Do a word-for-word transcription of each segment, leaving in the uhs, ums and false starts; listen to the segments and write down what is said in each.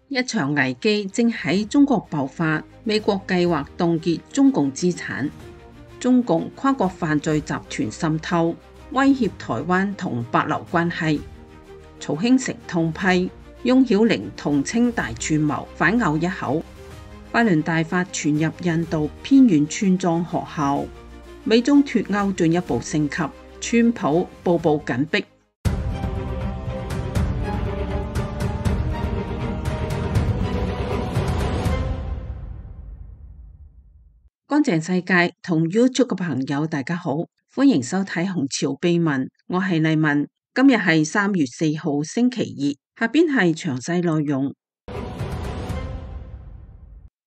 一場危機正喺中國爆發，美國計劃凍結中共資產，中共跨國犯罪集團滲透，威脅台灣同帛琉關係。曹興誠痛批，翁曉玲同稱大串謀，反咬一口。百年大法傳入印度偏遠村莊學校。美中脫鉤進一步升級，川普步步緊逼。乾淨世界同 YouTube 嘅朋友大家好，歡迎收睇紅潮秘聞，我係麗文。今日係三月四號星期二，下邊係詳細內容。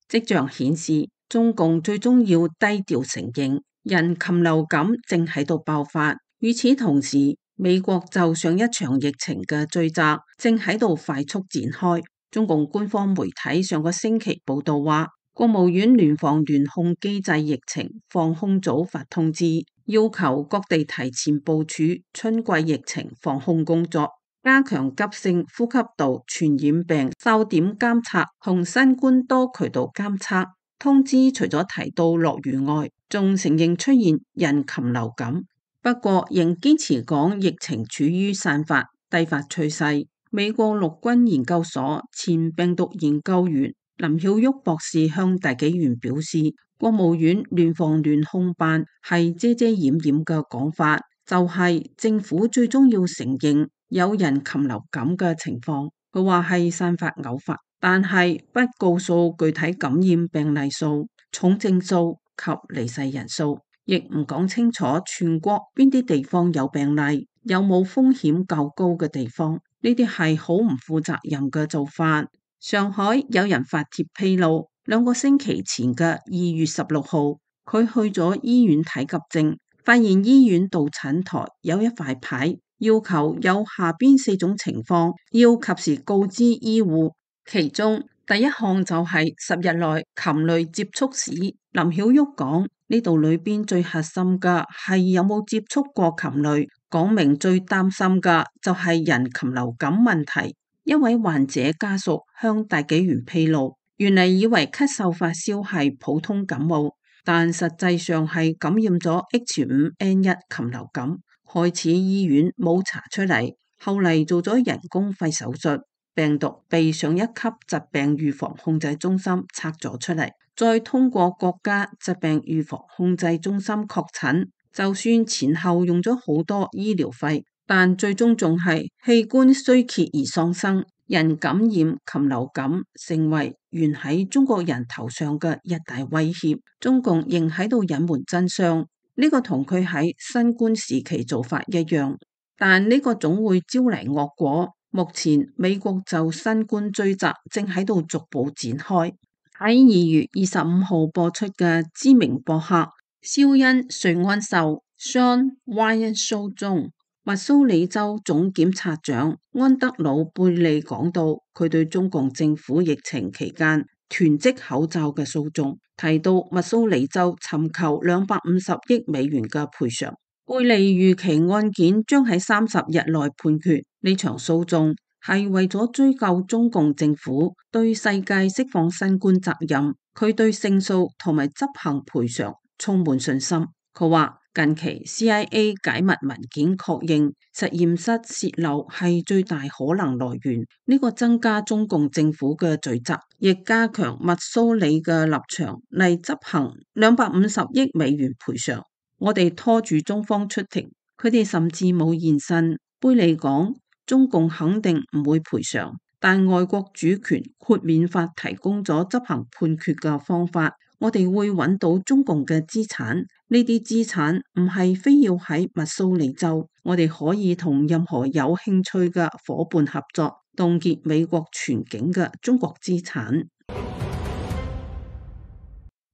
跡象顯示，中共最終要低調承認人禽流感正喺度爆發。與此同時，美國就上一場疫情嘅追責正喺度快速展開。中共官方媒體上個星期報道話，國務院聯防聯控機制疫情防控組發通知，要求各地提前部署春季疫情防控工作，加強急性呼吸道傳染病哨點監測同新冠多渠道監測。通知除咗提到落雨外，仲承認出現人禽流感，不過仍堅持講疫情處於散發低發趨勢。美國陸軍研究所前病毒研究員林曉旭博士向大紀元表示，國務院聯防聯控辦係遮遮掩掩嘅講法，就係、是、政府最終要承認有人禽流感嘅情況。佢話係散發偶發，但係不告訴具體感染病例數、重症數及離世人數，亦唔講清楚全國邊啲地方有病例，有冇風險較高嘅地方。呢啲係好唔負責任嘅做法。上海有人發帖披露，兩個星期前嘅二月十六號，佢去咗醫院睇急症，發現醫院到診台有一塊牌，要求有下邊四種情況要及時告知醫護，其中第一項就係十日內禽類接觸史。林曉旭講，呢度裏邊最核心嘅係有冇接觸過禽類，講明最擔心嘅就係人禽流感問題。一位患者家屬向大紀元披露，原嚟以為咳嗽發燒係普通感冒，但實際上係感染咗 H 五 N 一 禽流感。開始醫院冇查出嚟，後嚟做咗人工肺手術，病毒被上一級疾病預防控制中心測咗出嚟，再通過國家疾病預防控制中心確診。就算前後用咗好多醫療費，但最終仲係器官衰竭而喪生。人感染禽流感成為懸喺中國人頭上嘅一大威脅，中共仍喺度隱瞞真相。呢個同佢喺新冠時期做法一樣，但呢個總會招嚟惡果。目前美國就新冠追責正喺度逐步展開。喺二月二十五號播出嘅知名博客肖恩瑞安秀 Sean Ryan Show 中，密蘇里州總檢察長安德魯貝利講到，佢對中共政府疫情期間囤積口罩嘅訴訟，提到密蘇里州尋求兩百五十億美元嘅賠償。貝利預期案件將喺三十日內判決。呢場訴訟係為咗追究中共政府對世界釋放新冠責任，佢對勝訴同埋執行賠償充滿信心。佢話近期 C I A 解密文件確認實驗室洩漏係最大可能來源，呢個增加中共政府嘅罪責，亦加強密蘇里嘅立場嚟執行兩百五十億美元賠償。我哋拖住中方出庭，佢哋甚至冇現身。貝利講，中共肯定唔會賠償，但外國主權豁免法提供咗執行判決嘅方法。我哋會揾到中共嘅資產，呢啲資產唔係非要喺密蘇里州，我哋可以同任何有興趣嘅伙伴合作，凍結美國全境嘅中國資產。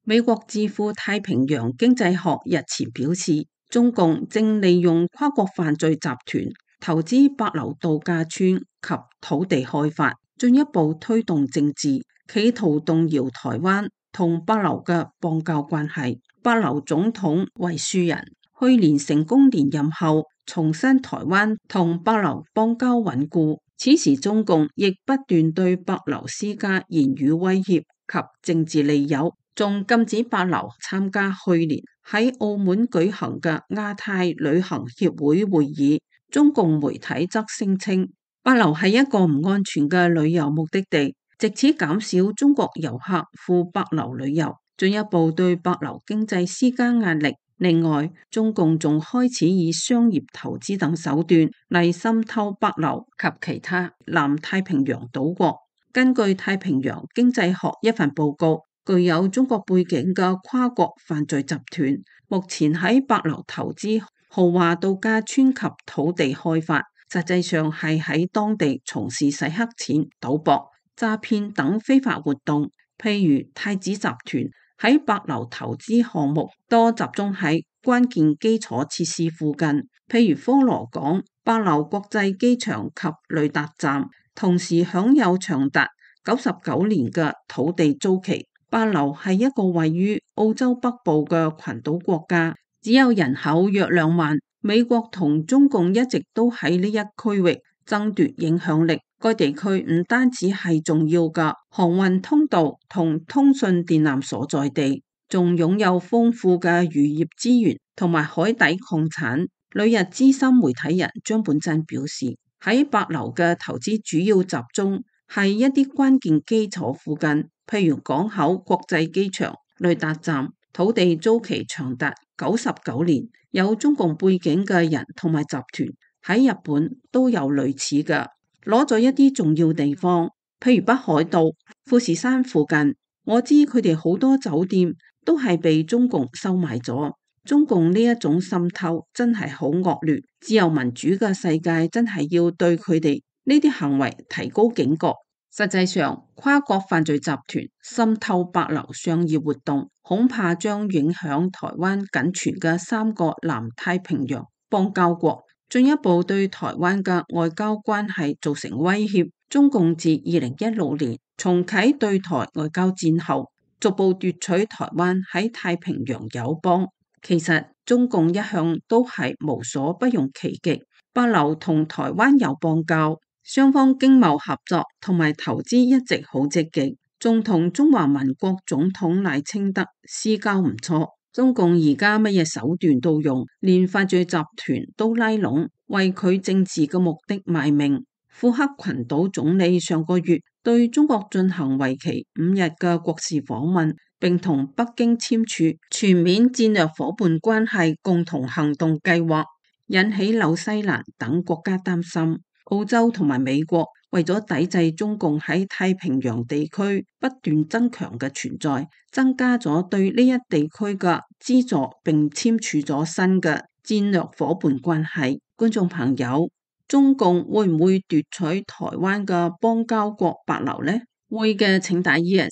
美國智庫太平洋經濟學日前表示，中共正利用跨國犯罪集團投資帛琉度假村及土地開發，進一步推動政治，企圖動搖台灣同帛琉嘅邦交關係。帛琉總統維樹人去年成功連任後，重申台灣同帛琉邦交穩固，此時中共亦不斷對帛琉施加言語威脅及政治利誘，仲禁止帛琉參加去年喺澳門舉行嘅亞太旅行協會會議。中共媒體則聲稱帛琉係一個唔安全嘅旅遊目的地，藉此減少中國遊客赴帛琉旅遊，進一步對帛琉經濟施加壓力。另外，中共仲開始以商業投資等手段嚟滲透帛琉及其他南太平洋島國。根據太平洋經濟學一份報告，具有中國背景嘅跨國犯罪集團目前喺帛琉投資豪華度假村及土地開發，實際上係喺當地從事洗黑錢、賭博、詐騙等非法活動。譬如太子集團喺帛琉投資項目多集中喺關鍵基礎設施附近，譬如科羅港、帛琉國際機場及雷達站，同時享有長達九十九年嘅土地租期。帛琉係一個位於澳洲北部嘅群島國家，只有人口約兩萬。美國同中共一直都喺呢一區域爭奪影響力。該地區唔單止係重要嘅航運通道同通訊電纜所在地，仲擁有豐富嘅漁業資源同埋海底礦產。旅日資深媒體人張本真表示，喺帛琉嘅投資主要集中係一啲關鍵基礎附近，譬如港口、國際機場、雷達站，土地租期長達九十九年。有中共背景嘅人同埋集團喺日本都有類似嘅，攞咗一啲重要地方，譬如北海道、富士山附近。我知佢哋好多酒店都係被中共收買咗。中共呢一種滲透真係好惡劣，自由民主嘅世界真係要對佢哋呢啲行為提高警覺。實際上，跨國犯罪集團滲透帛琉商業活動，恐怕將影響台灣僅存嘅三個南太平洋邦交國，進一步對台灣嘅外交關係造成威脅。中共自二零一六年重啟對台外交戰後，逐步奪取台灣喺太平洋友邦。其實中共一向都係無所不用其極，帛琉同台灣有邦交。雙方經貿合作同埋投資一直好積極，仲同中華民國總統賴清德私交唔錯。中共而家乜嘢手段都用，連犯罪集團都拉攏，為佢政治嘅目的賣命。庫克群島總理上個月對中國進行為期五日嘅國事訪問，並同北京簽署全面戰略伙伴關係共同行動計劃，引起紐西蘭等國家擔心。澳洲同埋美國為咗抵制中共喺太平洋地區不斷增強嘅存在，增加咗對呢一地區嘅資助，並簽署咗新嘅戰略伙伴關係。觀眾朋友，中共會唔會奪取台灣嘅邦交國帛琉呢？會嘅請打 yes，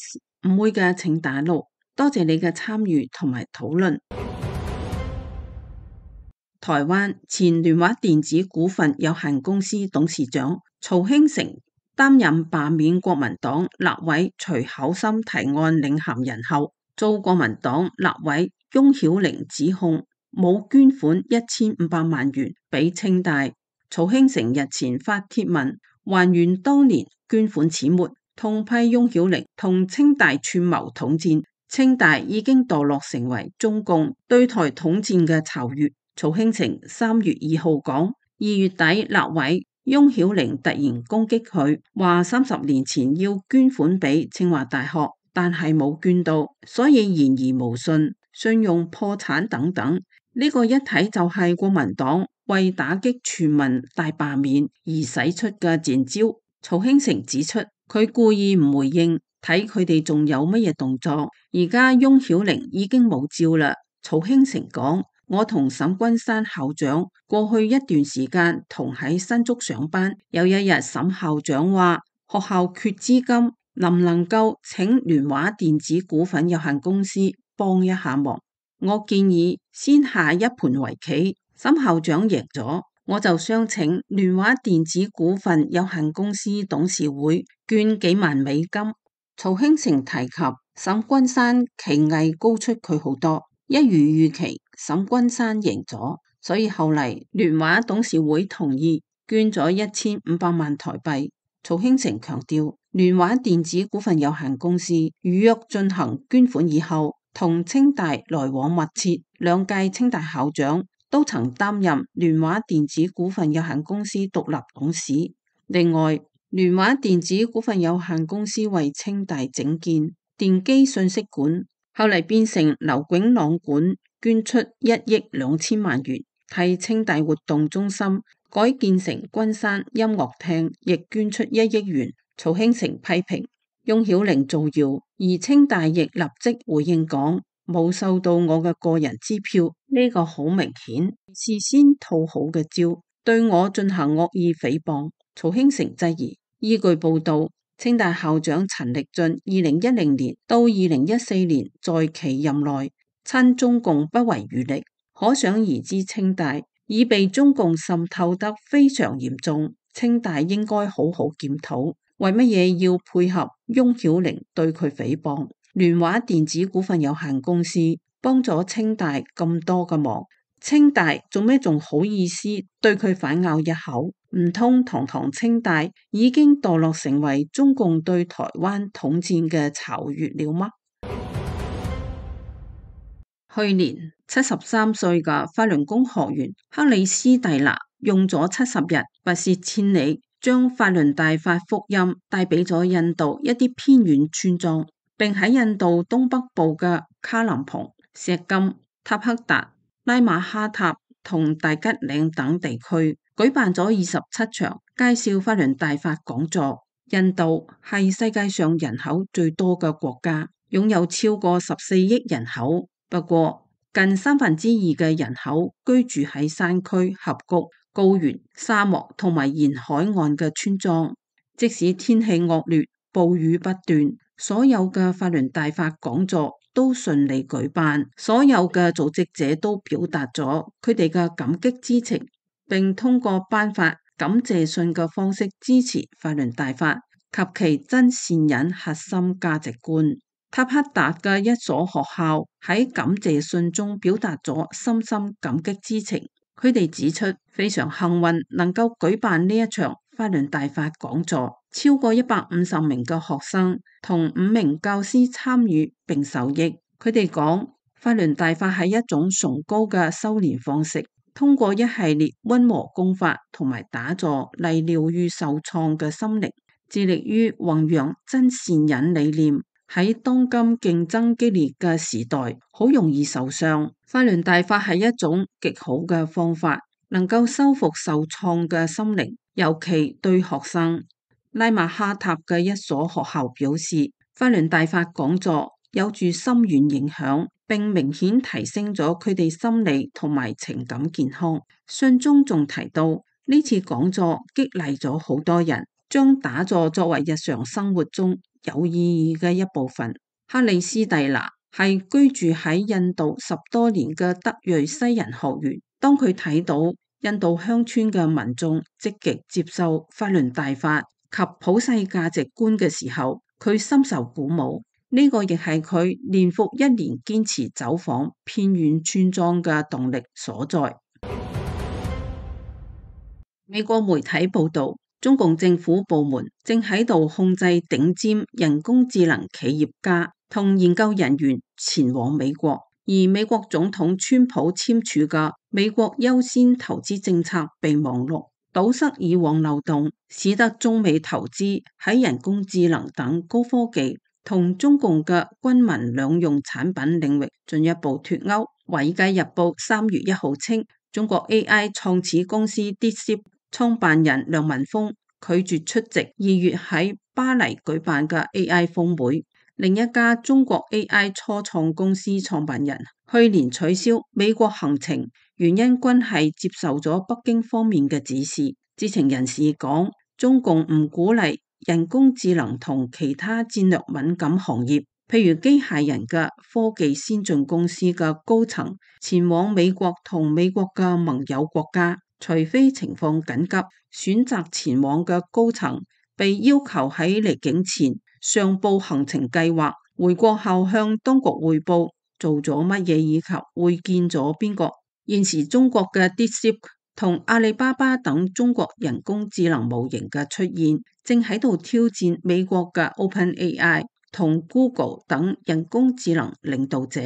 唔會嘅請打 no。多謝你嘅參與同埋討論。台灣前聯華電子股份有限公司董事長曹興誠擔任罷免國民黨立委徐巧芯提案領銜人後，遭國民黨立委翁曉玲指控冇捐款一千五百萬元俾清大。曹興誠日前發帖文還原當年捐款始末，痛批翁曉玲同清大串謀統戰，清大已經墮落成為中共對台統戰嘅巢穴。曹興誠三月二號講，二月底立委翁曉玲突然攻擊佢，話三十年前要捐款俾清華大學，但係冇捐到，所以言而無信，信用破產等等。呢、這個一睇就係國民黨為打擊全民大罷免而使出嘅賤招。曹興誠指出，佢故意唔回應，睇佢哋仲有乜嘢動作。而家翁曉玲已經冇招啦。曹興誠講，我同沈君山校長過去一段時間同喺新竹上班，有一日沈校長話學校缺資金，能唔能夠請聯華電子股份有限公司幫一下忙？我建議先下一盤圍棋，沈校長贏咗，我就想請聯華電子股份有限公司董事會捐幾萬美金。曹興誠提及沈君山棋藝高出佢好多，一如預期，沈君山贏咗，所以後嚟聯華董事會同意捐咗一千五百萬台幣。曹興誠強調，聯華電子股份有限公司預約進行捐款以後，同清大來往密切，兩屆清大校長都曾擔任聯華電子股份有限公司獨立董事。另外，聯華電子股份有限公司為清大整建電機信息館，後嚟變成劉炯朗館，捐出一億兩千萬元，替清大活動中心改建成君山音樂廳，亦捐出一億元。曹興誠批評翁曉玲造謠，而清大亦立即回應講冇收到我嘅個人支票，呢、這個好明顯事先套好嘅招，對我進行惡意誹謗。曹興誠質疑，依據報道，清大校長陳力俊二零一零年到二零一四年在其任內親中共不遺餘力，可想而知清大已被中共滲透得非常嚴重。清大應該好好檢討，為乜嘢要配合翁曉玲對佢誹謗？聯華電子股份有限公司幫咗清大咁多嘅忙，清大做咩仲好意思對佢反咬一口？唔通堂堂清大已經墮落成為中共對台灣統戰嘅巢穴了嗎？去年七十三歲嘅法輪功學員克里斯蒂娜用咗七十日不涉千里，將法輪大法福音帶俾咗印度一啲偏遠村莊，並喺印度東北部嘅卡林蓬、錫金、塔克達、拉馬哈塔同大吉嶺等地區舉辦咗二十七場介紹法輪大法講座。印度係世界上人口最多嘅國家，擁有超過十四億人口。不過，近三分之二嘅人口居住喺山區、峽谷、高原、沙漠同埋沿海岸嘅村莊。即使天氣惡劣、暴雨不斷，所有嘅法輪大法講座都順利舉辦。所有嘅組織者都表達咗佢哋嘅感激之情，並通過頒發感謝信嘅方式支持法輪大法及其真善忍核心價值觀。塔克達嘅一所學校喺感謝信中表達咗深深感激之情。佢哋指出非常幸運能夠舉辦呢一場法輪大法講座，超過一百五十名嘅學生同五名教師參與並受益。佢哋講，法輪大法係一種崇高嘅修煉方式，通過一系列溫和功法同埋打坐嚟療癒受創嘅心靈，致力於弘揚真善忍理念。喺當今競爭激烈嘅時代，好容易受傷。法輪大法係一種極好嘅方法，能夠修復受創嘅心靈，尤其對學生。拉馬哈塔嘅一所學校表示，法輪大法講座有住深遠影響，並明顯提升咗佢哋心理同埋情感健康。信中仲提到，呢次講座激勵咗好多人，將打坐作為日常生活中有意義嘅一部分。克里斯蒂娜係居住喺印度十多年嘅德裔西人學員，當佢睇到印度鄉村嘅民眾積極接受法輪大法及普世價值觀嘅時候，佢深受鼓舞。呢、這個亦係佢年復一年堅持走訪偏遠村莊嘅動力所在。美國媒體報道，中共政府部門正喺度控制頂尖人工智能企業家同研究人員前往美國，而美國總統川普簽署嘅美國優先投資政策備忘錄堵塞以往漏洞，使得中美投資喺人工智能等高科技同中共嘅軍民兩用產品領域進一步脫鈎。華爾街日報三月一號稱，中國 A I 創始公司 DeepSeek創辦人梁文峰拒絕出席二月喺巴黎舉辦嘅 A I 峰會。另一家中國 A I 初創公司創辦人去年取消美國行程，原因均係接受咗北京方面嘅指示。知情人士講，中共唔鼓勵人工智能同其他戰略敏感行業，譬如機械人嘅科技先進公司嘅高層前往美國同美國嘅盟友國家。除非情況緊急，選擇前往嘅高層被要求喺離境前上報行程計劃，回國後向當局匯報做咗乜嘢以及會見咗邊個。現時中國嘅 DeepSeek 同阿里巴巴等中國人工智能模型嘅出現，正喺度挑戰美國嘅 OpenAI 同 Google 等人工智能領導者。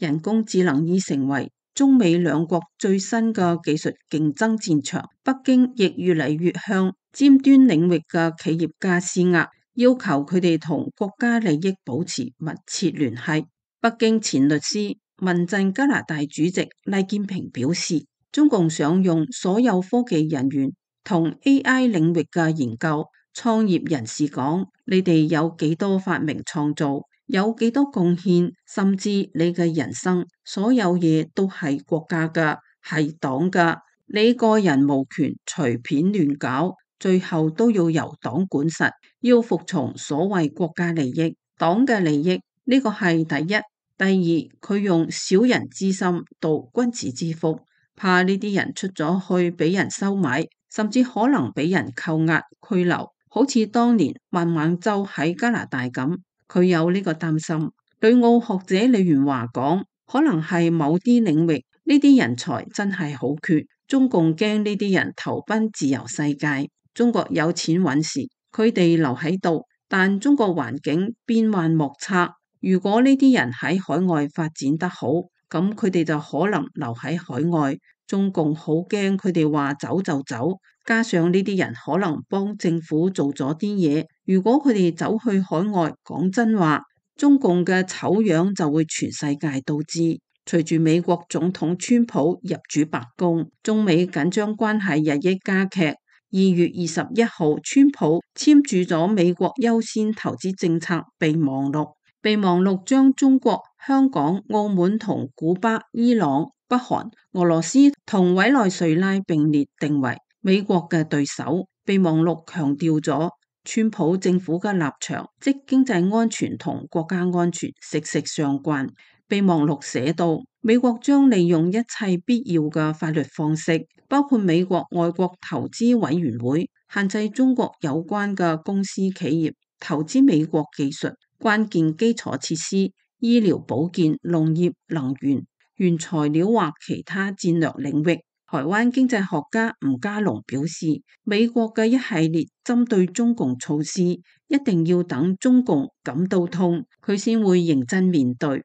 人工智能已成為中美兩國最新嘅技術競爭戰場，北京亦越嚟越向尖端領域嘅企業家施壓，要求佢哋同國家利益保持密切聯繫。北京前律師、民陣加拿大主席黎建平表示，中共想用所有科技人員同 A I 領域嘅研究創業人士講，你哋有幾多發明創造，有幾多貢獻，甚至你嘅人生，所有嘢都係國家嘅，係黨嘅，你個人無權隨便亂搞，最後都要由黨管實，要服從所謂國家利益、黨嘅利益，呢個係第一。第二，佢用小人之心度君子之腹。怕呢啲人出咗去俾人收買，甚至可能俾人扣押拘留，好似當年孟晚舟喺加拿大咁，佢有呢個擔心。旅澳學者李元華講，可能係某啲領域呢啲人才真係好缺，中共驚呢啲人投奔自由世界，中國有錢揾時，佢哋留喺度，但中國環境變幻莫測，如果呢啲人喺海外發展得好，咁佢哋就可能留喺海外，中共好驚佢哋話走就走，加上呢啲人可能幫政府做咗啲嘢，如果佢哋走去海外，講真話，中共嘅醜樣就會全世界都知。隨住美國總統川普入主白宮，中美緊張關係日益加劇。二月二十一號，川普簽署咗美國優先投資政策備忘錄。備忘錄將中國、香港、澳門同古巴、伊朗、北韓、俄羅斯同委內瑞拉並列定為美國嘅對手。備忘錄強調咗川普政府嘅立場，即經濟安全同國家安全息息相關。備忘錄寫到，美國將利用一切必要嘅法律方式，包括美國外國投資委員會，限制中國有關嘅公司企業投資美國技術、關鍵基礎設施、醫療保健、農業、能源、原材料或其他戰略領域。台灣經濟學家吳家龍表示，美國嘅一系列針對中共措施，一定要等中共感到痛，佢先會認真面對。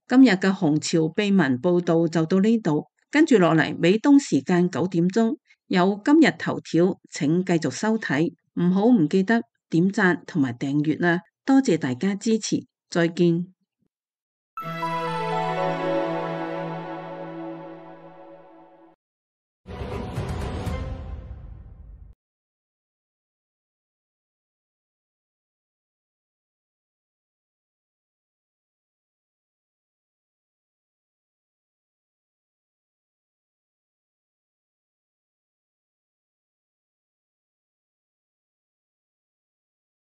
今日嘅紅潮秘聞報道就到呢度，跟住落嚟美東時間九點鐘有今日頭條，請繼續收睇，唔好唔記得點讚同埋訂閱啦，多謝大家支持，再見。